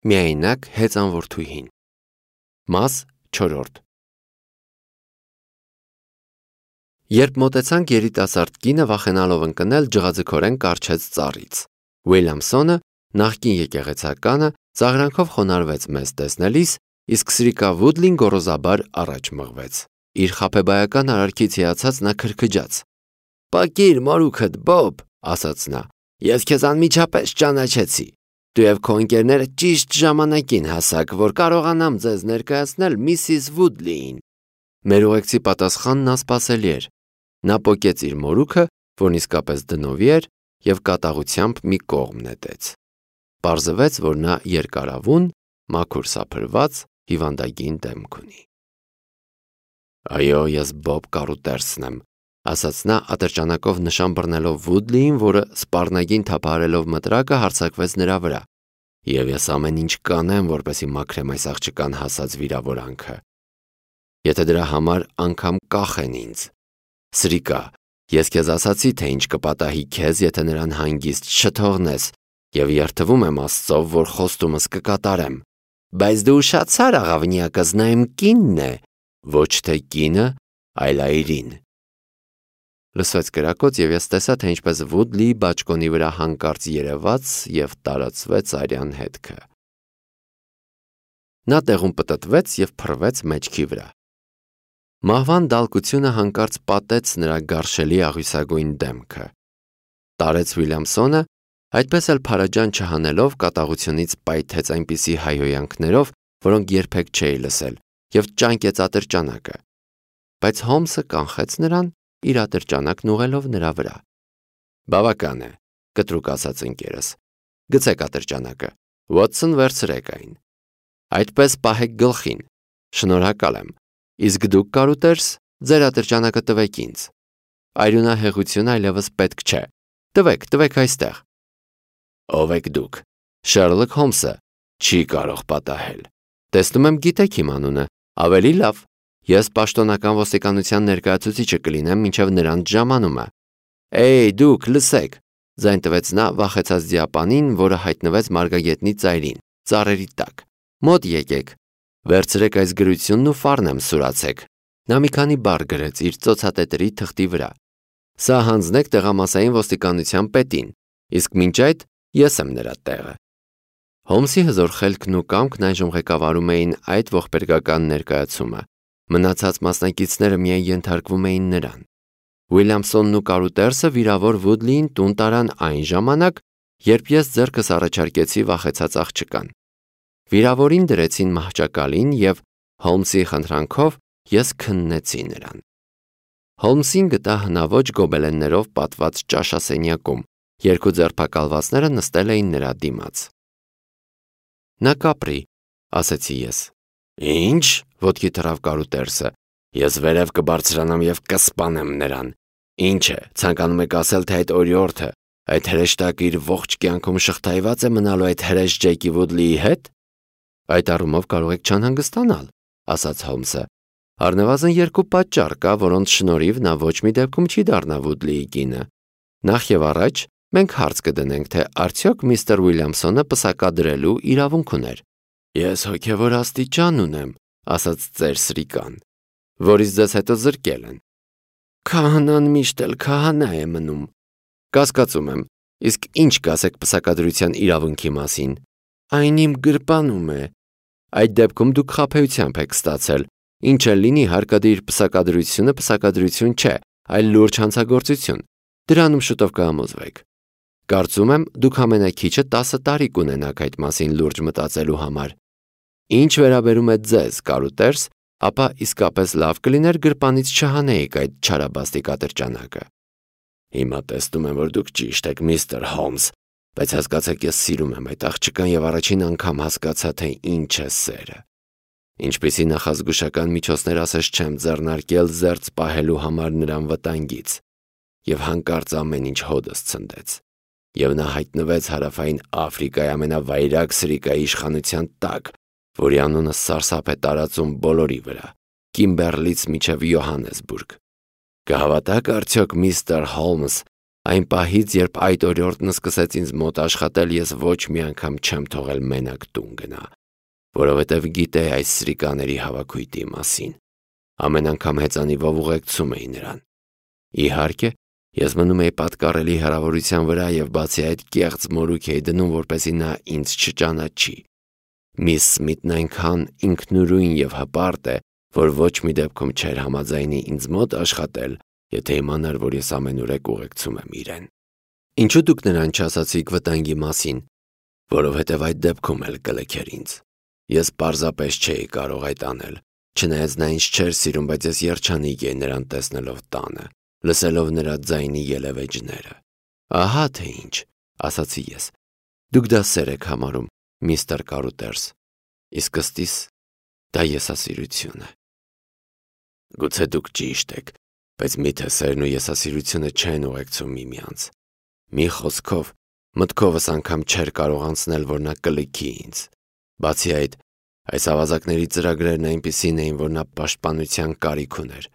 Միայնակ հեծանվորդուհին։ Մաս 4. Երբ մոտեցանք երիտասարդ կինը վախենալով ընկնել ջղաձգորեն կառչեց ծառից։ Ուիլյամսոնը, նախկին եկեղեցականը, ծաղրանքով խոնարհվեց մեզ տեսնելիս, իսկ Սրիկա Վուդլին գոռոզաբար առաջ մղվեց։ Իր խաբեբայական արարքից հիացած նա քրքջաց։ «Պակիր մորուքդ, Բոբ», ասաց նա, «ես քեզ անմիջապես ճանաչեցի։ Դու և քո ընկերները ճիշտ ժամանակին հասաք, որ կարողանամ ձեզ ներկայացնել Միսիս Վուդլիին»։ Մեր ուղեկցի պատասխանն անսպասելի էր։ Նա պոկեց իր մորուքը, որն իսկապես դնովի էր, և կատաղությամբ մի կողմ նետեց։ Պարզվեց, որ նա երկարավուն, մաքուր սափրված, հիվանդագին դեմք ունի։ «Այո, ես Բոբ Կարուտերսն եմ», ասաց նա ատրճանակով նշան բռնելով Վուդլիին, որը սպառնագին թափահարելով մտրակը հարձակվեց նրա վրա։ «Եվ ես ամեն ինչ կանեմ, որպեսզի մաքրեմ այս աղջկան հասած վիրավորանքը։ Եթե դրա համար անգամ կախեն ինձ։ Սրիկա, ես քեզ ասացի, թե ինչ կպատահի քեզ, եթե նրան հանգիստ չթողնես, և երդվում եմ Աստծով, որ խոստումս կկատարեմ։ Բայց դու ուշացար, աղավնիակս, նա իմ կինն է, ոչ թե կինը, այլ այրին»։ Լսվեց կրակոց, և ես տեսա, թե ինչպես Վուդլիի բաճկոնի վրա հանկարծ երևաց և տարածվեց արյան հետքը։ Նա տեղում պտտվեց և փռվեց մեջքի վրա։ Մահվան դալկությունը հանկարծ պատեց նրա գարշելի աղյուսագույն դեմքը։ Տարեց Ուիլյամսոնը, այդպես էլ փարաջան չհանելով, կատաղությունից պայթեց այնպիսի հայհոյանքներով, որոնք երբեք չէի լսել, և ճանկեց ատրճանակը։ Բայց Հոլմսը կանխեց նրան, իր ատրճանակն ուղղելով նրա վրա։ «Բավական է», կտրուկ ասաց ընկերս, «գցեք ատրճանակը, Ուոտսոն, վերցրեք այն։ Այդպես պահեք գլխին։ Շնորհակալ եմ։ Իսկ դուք, Կարուտերս, ձեր ատրճանակը տվեք ինձ։ Արյունահեղություն այլևս պետք չէ։ Տվեք այստեղ»։ «Ով եք դուք»։ «Շերլոք Հոլմսը, չի կարող պատահել։ Տեսնում եմ գիտեք իմ անունը, ավելի լավ։ Ես պաշտոնական ոստիկանության ներկայացուցիչը կլինեմ մինչև նրանց ժամանումը»։ «Էյ, դուք, լսեք», ձայն տվեց նա վախեցած դիապանին, որը հայտնվեց մարգագետնի ծայրին, ծառերի տակ։ «Մոտ եկեք։ Վերցրեք այս գրությունն ու ֆառնեմ սուրացեք»։ Նա մի քանի բառ գրեց իր ծոցատետրի թղթի վրա։ «Սա հանձնեք տեղամասային ոստիկանության պետին, իսկ մինչ այդ ես եմ նրա տեղը»։ Հոլմսի հզոր խելքն ու կամքն այժմ ղեկավարում էին այդ ողբերգական ներկայացումը։ Մնացած մասնակիցները միայն ենթարկվում էին նրան։ Ուիլյամսոնն ու Կարուտերսը վիրավոր Վուդլիին տուն տարան այն ժամանակ, երբ ես ձեռքս առաջարկեցի վախեցած աղջկան։ Վիրավորին դրեցին մահճակալին, և Հոլմսի խնդրանքով ես քննեցի նրան։ Հոլմսին գտա հնաոճ գոբելեններով պատված ճաշասենյակում, երկու ձերբակալվածները նստել էին նրա դիմաց։ «Նա կապրի», ասեցի ես։ «Ինչ», ոտքի թռավ Կարուտերսը, «ես վերև կբարձրանամ և կսպանեմ նրան։ Ինչ է, ցանկանում եք ասել, թե այդ օրիորդը, այդ հրեշտակը իր ողջ կյանքում շղթայված է մնալու այդ հրեշ Ջեյքի Վուդլիի հետ»։ «Այդ առումով կարող եք չանհանգստանալ», ասաց Հոլմսը։ «Առնվազն երկու պատճառ կա, որոնց շնորհիվ նա ոչ մի դեպքում չի դառնա Վուդլիի կինը։ Նախ եւ առաջ մենք հարց կդնենք, թե արդյոք միստր Ուիլյամսոնը պսակադրելու իրավունք ուներ»։ «Ես հոգևոր աստիճան ունեմ», ասաց ծեր Սրիկան, «որից ձեզ հետո զրկել են»։ «Քահանան միշտ էլ քահանա է մնում»։ «Կասկածում եմ, իսկ ինչ կասեք պսակադրության իրավունքի մասին»։ «Այն իմ գրպանում է»։ «Այդ դեպքում դուք խաբեությամբ եք ստացել։ Ինչ էլ լինի, հարկադիր պսակադրությունը պսակադրություն չէ, այլ լուրջ հանցագործություն։ Դրանում շուտով կհամոզվեք։ Կարծում եմ, դուք ամենաքիչը 10 տարի կունենաք այդ մասին լուրջ մտածելու համար։ Ինչ վերաբերում է ձեզ, Կարուտերս, ապա իսկապես լավ կլիներ գրպանից չհանեիք այդ չարաբաստիկ ատրճանակը»։ «Հիմա տեսնում եմ, որ դուք ճիշտ եք, միստր Հոլմս, բայց հասկացեք, ես սիրում եմ այդ աղջկան և առաջին անգամ հասկացա, թե ինչ է սերը։ Ինչպիսի նախազգուշական միջոցներ ասես չեմ ձեռնարկել զերծ պահելու համար նրան վտանգից։ Եվ հանկարծ ամեն ինչ հոդս ցնդեց։ Եվ նա հայտնվեց Հարավային Աֆրիկայի ամենավայրագ Սրիկայի իշխանության տակ, որի անունը սարսափ է տարածում բոլորի վրա, Կիմբերլից մինչև Յոհաննեսբուրգ։ Կհավատաք արդյոք, միստր Հոլմս, Այն պահից, երբ այդ օրիորդն սկսեց ինձ մոտ աշխատել, ես ոչ մի անգամ չեմ թողել մենակ տուն գնա, որովհետև գիտեի այս սրիկաների հավաքույթի մասին։ Ամեն անգամ հեծանիվով ուղեկցում էի նրան։ Իհարկե, ես մնում էի պատկառելի հեռավորության վրա և բացի այդ կեղծ մորուք էի դնում, որպեսզի նա ինձ չճանաչի։ Միս Սմիթն այնքան ինքնուրույն և հպարտ է, որ ոչ մի դեպքում չէր համաձայնի ինձ մոտ աշխատել, եթե իմանար, որ ես ամենուրեք ուղեկցում եմ իրեն։ Ինչու դուք նրան չասացիք վտանգի մասին, որովհետև այդ դեպքում էլ կլքեր ինձ։ Ես պարզապես չէի կարող այդ անել, չնայած նա ինձ չէր սիրում, բայց ես երջանիկ էի նրան տեսնելով տանը, լսելով նրա ձայնի ելևէջները։ Ահա թե ինչ, ասացի ես։ Դուք դա սեր եք համարում, միստր Կարուտերս, իսկ ըստիս դա եսասիրություն է։ Գուցե դուք ճիշտ եք, բայց միթե սերն ու եսասիրությունը չեն ուղեկցում միմյանց։ Մի խոսքով, մտքովս անգամ չէր կարող անցնել, որ նա կլքի ինձ։ Բացի այդ, այս ավազակների ծրագրերն այնպիսին էին, որ նա պաշտպանության կարիք ուներ։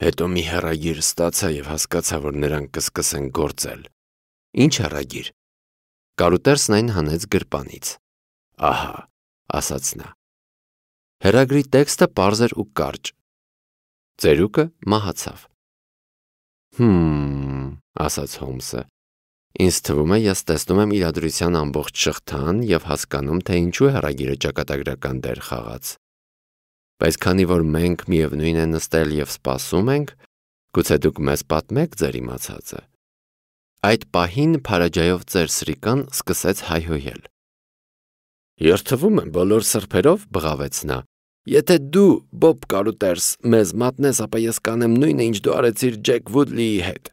Հետո մի հեռագիր ստացա և հասկացա, որ նրանք կսկսեն գործել։ Ինչ հեռագիր։ Կարուտերսն այն հանեց գրպանից։ Ահա, ասաց նա։ Հեռագրի տեքստը պարզ էր ու կարճ։ Ծերուկը մահացավ։ Ասաց Հոլմսը։ Ինձ թվում է, ես տեսնում եմ իրադրության ամբողջ շղթան և հասկանում, թե ինչու հեռագիրը ճակատագրական դեր խաղաց։ Բայց քանի որ մենք միևնույն է նստել և սպասում ենք, գուցե դուք մեզ պատմեք ձեր իմացածը։ Այդ պահին Փարաջայով ծեր սրիկան սկսեց հայհոյել։ Երդվում եմ բոլոր սրբերով, բղավեց նա։ Եթե դու, Բոբ Կարուտերս, մեզ մատնես, ապա ես կանեմ նույնը, ինչ դու արեցիր Ջեք Վուդլիի հետ։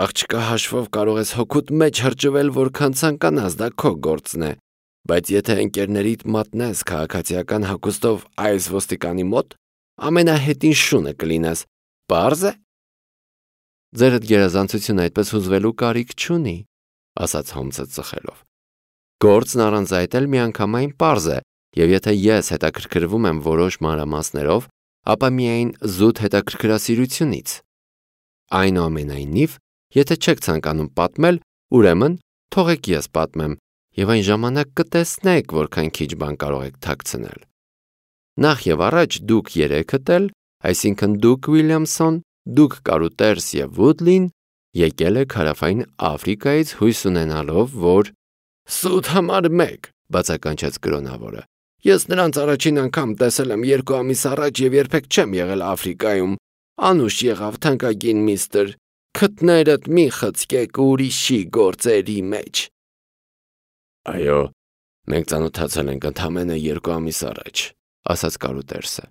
Աղջկա հաշվով կարող ես հոգուտ մեջ հրճվել, որքան ցանկանաս, դա քո գործն է, բայց եթե ընկերներիդ մատնես քաղաքացիական հագուստով այս ոստիկանի մոտ, ամենահետին շունը կլինես, պարզ է։ Ձերդ գերազանցությունը այդպես հուզվելու կարիք չունի, ասաց Հոլմսը ծխելով։ Գործն առանց այդ էլ միանգամայն պարզ է, և եթե ես հետաքրքրվում եմ որոշ մանրամասներով, ապա միայն զուտ հետաքրքրասիրությունից։ Այնուամենայնիվ, եթե չեք ցանկանում պատմել, ուրեմն թողեք ես պատմեմ, և այն ժամանակ կտեսնեք, որքան քիչ բան կարող եք թաքցնել։ Նախ և առաջ դուք երեքդ էլ, այսինքն դուք Ուիլյամսոն, դուք Կարուտերս և Վուդլին, եկել եք Հարավային Աֆրիկայից հույս ունենալով, որ… Սուտ համար 1, բացականչեց կրոնավորը։ Ես նրանց առաջին անգամ տեսել եմ 2 ամիս առաջ և երբեք չեմ եղել Աֆրիկայում։ Անուշ եղավ թանկագին միստր, քթներդ մի խցկեք ուրիշի գործերի մեջ։ Այո, մենք ծանոթացել ենք ընդամենը 2 ամիս առաջ, ասաց Կարուտերսը։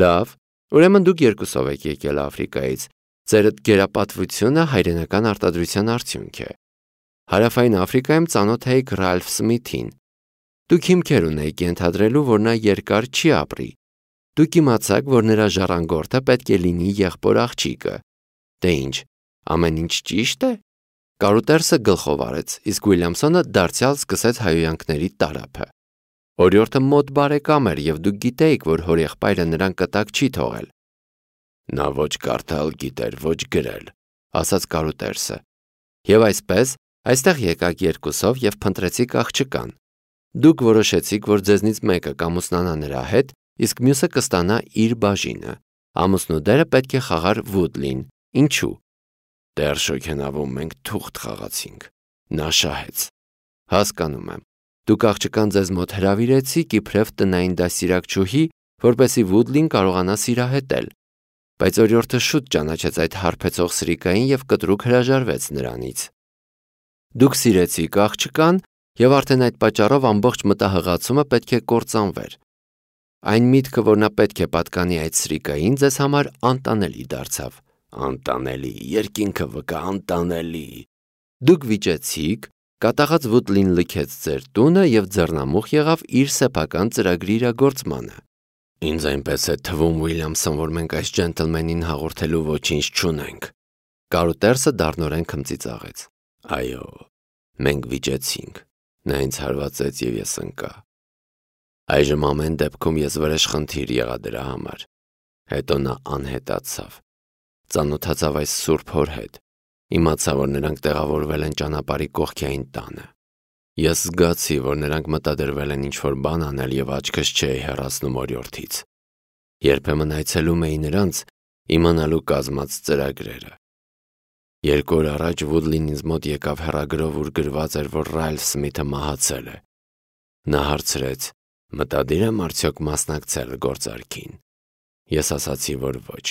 Լավ, ուրեմն դուք երկուսով եք եկել Աֆրիկայից, ձերդ գերապատվությունը հայրենական արտադրության արդյունք է։ Հարավային Աֆրիկայում ծանոթ էիք Ռալֆ Սմիթին։ Դուք հիմքեր ունեիք ենթադրելու, որ նա երկար չի ապրի։ Դուք իմացաք, որ նրա ժառանգորդը պետք է լինի եղբոր աղջիկը։ Դե ինչ, ամեն ինչ ճիշտ է։ Կարուտերսը գլխով արեց, իսկ Ուիլյամսոնը դարձյալ սկսեց հայհոյանքների տարափը։ Օրիորդը մոտ բարեկամ էր, և դուք գիտեիք, որ հորեղբայրը նրան կտակ չի թողել։ Նա ոչ կարդալ գիտեր, ոչ գրել, ասաց Կարուտերսը։ Եվ այսպես, այստեղ եկաք երկուսով և փնտրեցիք աղջկան։ Դուք որոշեցիք, որ ձեզնից մեկը կամուսնանա նրա հետ, իսկ մյուսը կստանա իր բաժինը։ Ամուսնու դերը պետք է խաղար Վուդլին։ Ինչու։ Դեռ շոգենավում մենք թուղթ խաղացինք։ Նա շահեց։ Հասկանում եմ։ Դուք աղջկան ձեզ մոտ հրավիրեցիք իբրև տնային դաստիարակչուհի, որպեսզի Վուդլին կարողանա սիրահետել։ Բայց օրիորդը շուտ ճանաչեց այդ հարբեցող սրիկային և կտրուկ հրաժարվեց նրանից։ Դուք սիրեցիք աղջկան, և արդեն այդ պատճառով ամբողջ մտահղացումը պետք է կործանվեր։ Այն միտքը, որ նա պետք է պատկանի այդ սրիկային, ձեզ համար անտանելի դարձավ։ Անտանելի, երկինքը վկա, անտանելի։ Դուք վիճեցիք, կատաղած Վուդլին լքեց ձեր տունը և ձեռնամուխ եղավ իր սեփական ծրագրի իրագործմանը։ Ինձ այնպես է թվում, Ուիլյամսոն, որ մենք այս ջենտլմենին հաղորդելու ոչինչ չունենք։ Կարուտերսը դառնորեն քմծիծաղեց։ Այո, մենք վիճեցինք։ Նա ինձ հարվածեց և ես ընկա։ Այժմ ամեն դեպքում ես վրեժխնդիր եղա դրա համար։ Հետո նա անհետացավ։ Ծանոթացավ այս սուրբ հոր հետ։ Իմացա, որ նրանք տեղավորվել են ճանապարհի կողքին տանը։ Ես զգացի, որ նրանք մտադրվել են ինչ-որ բան անել եւ աչքս չէի հեռացնում օրիորդից։ Երբեմն այցելում էի նրանց իմանալու կազմած ծրագրերը։ 2 օր առաջ Վուդլին ինձ մոտ եկավ հեռագրով, ուր գրված էր, որ Ռայլֆ Սմիթը մահացել է։ Նա հարցրեց. մտադիր եմ արդյոք մասնակցել գործարքին։ Ես ասացի, որ ոչ։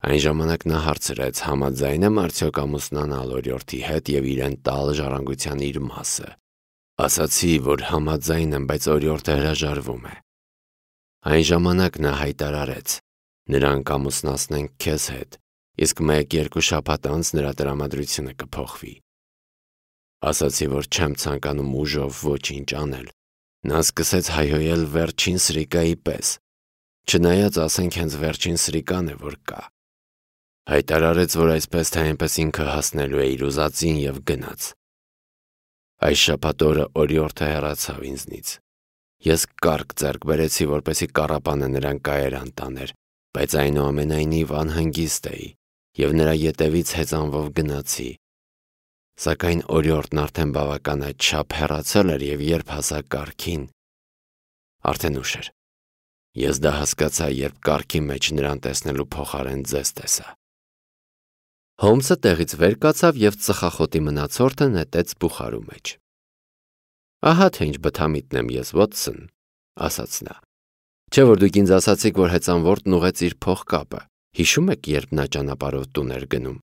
Այն ժամանակ նա հարցրեց, համաձայն եմ արդյոք ամուսնանալ օրիորդի հետ եւ իրեն տալ ժառանգության իր մասը։ Ասացի, որ համաձայն եմ, բայց օրիորդը հրաժարվում է։ Այն ժամանակ նա հայտարարեց. նրանք ամուսնացնեն քեզ հետ, իսկ 1-2 շաբաթ անց նրա տրամադրությունը կփոխվի։ Ասացի, որ չեմ ցանկանում ուժով ոչինչ անել։ Նա սկսեց հայհոյել վերջին սրիկայի պես, չնայած ասենք հենց վերջին սրիկան է, որ կա։ Հայտարարեց, որ այսպես թե այնպես ինքը հասնելու է իր ուզածին եւ գնաց։ Այս շաբաթ օրը օրիորդը հեռացավ ինձնից։ Ես կառք ձեռք բերեցի, որպեսզի կառապանը նրան կայարան տաներ, բայց այնուամենայնիվ անհանգիստ էի եւ նրա ետևից հեծանվով գնացի։ Սակայն օրիորդն արդեն բավականաչափ հեռացել էր եւ երբ հասա կառքին, արդեն ուշ էր։ Ես դա հասկացա, երբ կառքի մեջ նրան տեսնելու փոխարեն ձեզ տեսա։ Հոլմսը տեղից վեր կացավ եւ ծխախոտի մնացորդը նետեց բուխարու մեջ։ Ահա թե ինչ բթամիտն եմ ես, Վոթսոն, ասաց նա։ Չէ՞ որ դուք ինձ ասացիք, որ հեծանվորդն ուղեց իր փողկապը։ Հիշում եք, երբ նա ճանապարհով տուն էր գնում։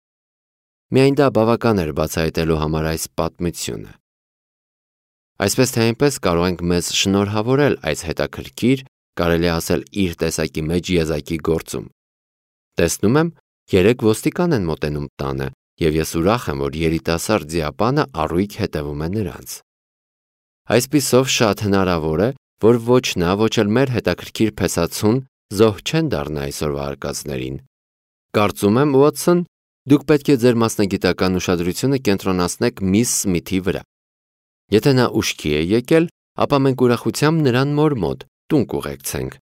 Միայն դա բավական էր բացահայտելու համար այս պատմությունը։ Այսպես թե այնպես կարող ենք մեզ շնորհավորել այս հետաքրքիր, կարելի է ասել իր տեսակի մեջ եզակի գործում։ Տեսնում եմ, 3 ոստիկան են մոտենում տանը, եւ ես ուրախ եմ, որ երիտասարդ ձիապանը առույգ հետևում է նրանց։ Այսպիսով շատ հնարավոր է, որ ոչ նա, ոչ էլ մեր հետաքրքիր փեսացուն զոհ չեն դառնա այսօրվա արկածներին։ Կարծում եմ, Ուոտսոն, դուք պետք է ձեր մասնագիտական ուշադրությունը կենտրոնացնեք միս Սմիթի վրա։ Եթե նա ուշքի է եկել, ապա մենք ուրախությամբ նրան մոր մոտ տուն կուղեկցենք։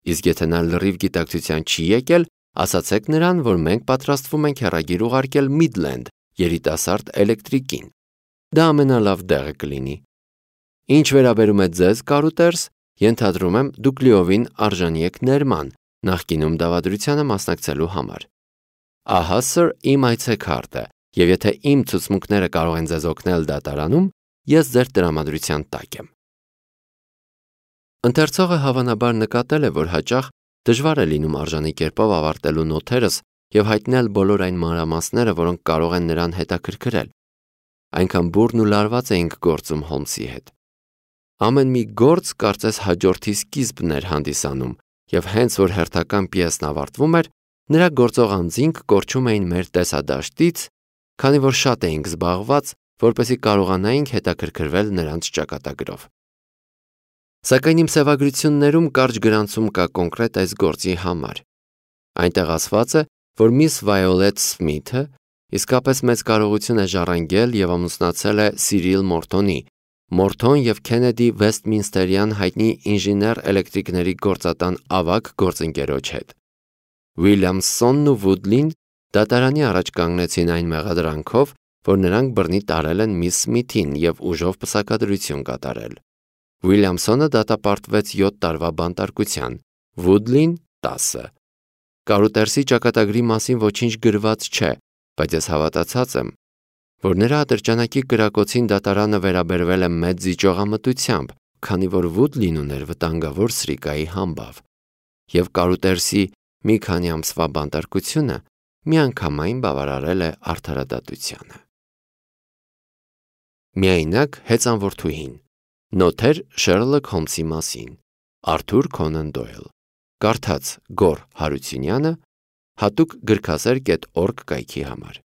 Իսկ եթե նա լրիվ գիտակցության չի եկել, ասացեք նրան, որ մենք պատրաստվում ենք հեռագիր ուղարկել Միդլենդ երիտասարդ էլեկտրիկին։ Դա ամենալավ տեղը կլինի։ Ինչ վերաբերում է ձեզ, կարուտերս, ենթադրում եմ, դուք լիովին արժանի եք ներման, նախկինում դավադրությանը մասնակցելու համար։ Ահա սր իմ այցեքարտը, եւ եթե իմ ցուցմունքները կարող են ձեզ օգնել դատարանում, ես ձեր տրամադրության տակ եմ։ Ընթերցողը հավանաբար նկատել է, որ հաճախ դժվար է լինում արժանի կերպով ավարտելու նոթերս եւ հայտնել բոլոր այն մանրամասները, որոնք կարող են նրան հետաքրքրել։ Այնքան բուրն ու լարված էինք գործում Հոլմսի հետ։ Ամեն մի գործ կարծես հաջորդի սկիզբն էր հանդիսանում, եւ հենց որ հերթական պիեսն ավարտվում էր, նրա գործող անձինք կորչում էին մեր տեսադաշտից, քանի որ շատ էինք զբաղված, որպեսզի կարողանայինք հետաքրքրվել նրանց ճակատագրով։ Սակայն իմ սևագրություններում կարճ գրանցում կա կոնկրետ այս գործի համար։ Այնտեղ ասված է, որ միս Վայոլետ Սմիթը իսկապես մեծ կարողություն է ժառանգել եւ ամուսնացել է Սիրիլ Մորթոնի, Մորթոն եւ Քենեդի Վեսթմինստերյան հայտնի ինժեներ էլեկտրիկների գործատան ավագ գործընկերոջ հետ։ Ուիլյամսոնն ու Վուդլին դատարանի առաջ կանգնեցին այն մեղադրանքով, որ նրանք բռնի տարել են միս Սմիթին եւ ուժով պսակադրություն կատարել։ Ուիլյամսոնը դատապարտվեց 7 տարվա բանտարկության, Վուդլին 10։ Կարուտերսի ճակատագրի մասին ոչինչ գրված չէ, բայց ես հավատացած եմ, որ նրա ատրճանակի կրակոցին դատարանը վերաբերվել է մեծ զիջողամտությամբ, քանի որ Վուդլին ուներ վտանգավոր սրիկայի համբավ, եւ Կարուտերսի մի քանի ամսվա բանտարկությունը միանգամայն բավարարել է արդարադատությանը։ Միայնակ հեծանվորդուհին։ Նոթեր Շերլոք Հոլմսի մասին։ Արթուր Քոնան Դոյլ։ Կարդաց Գոր Հարությունյանը, հատուկ գրքասեր.org կայքի համար։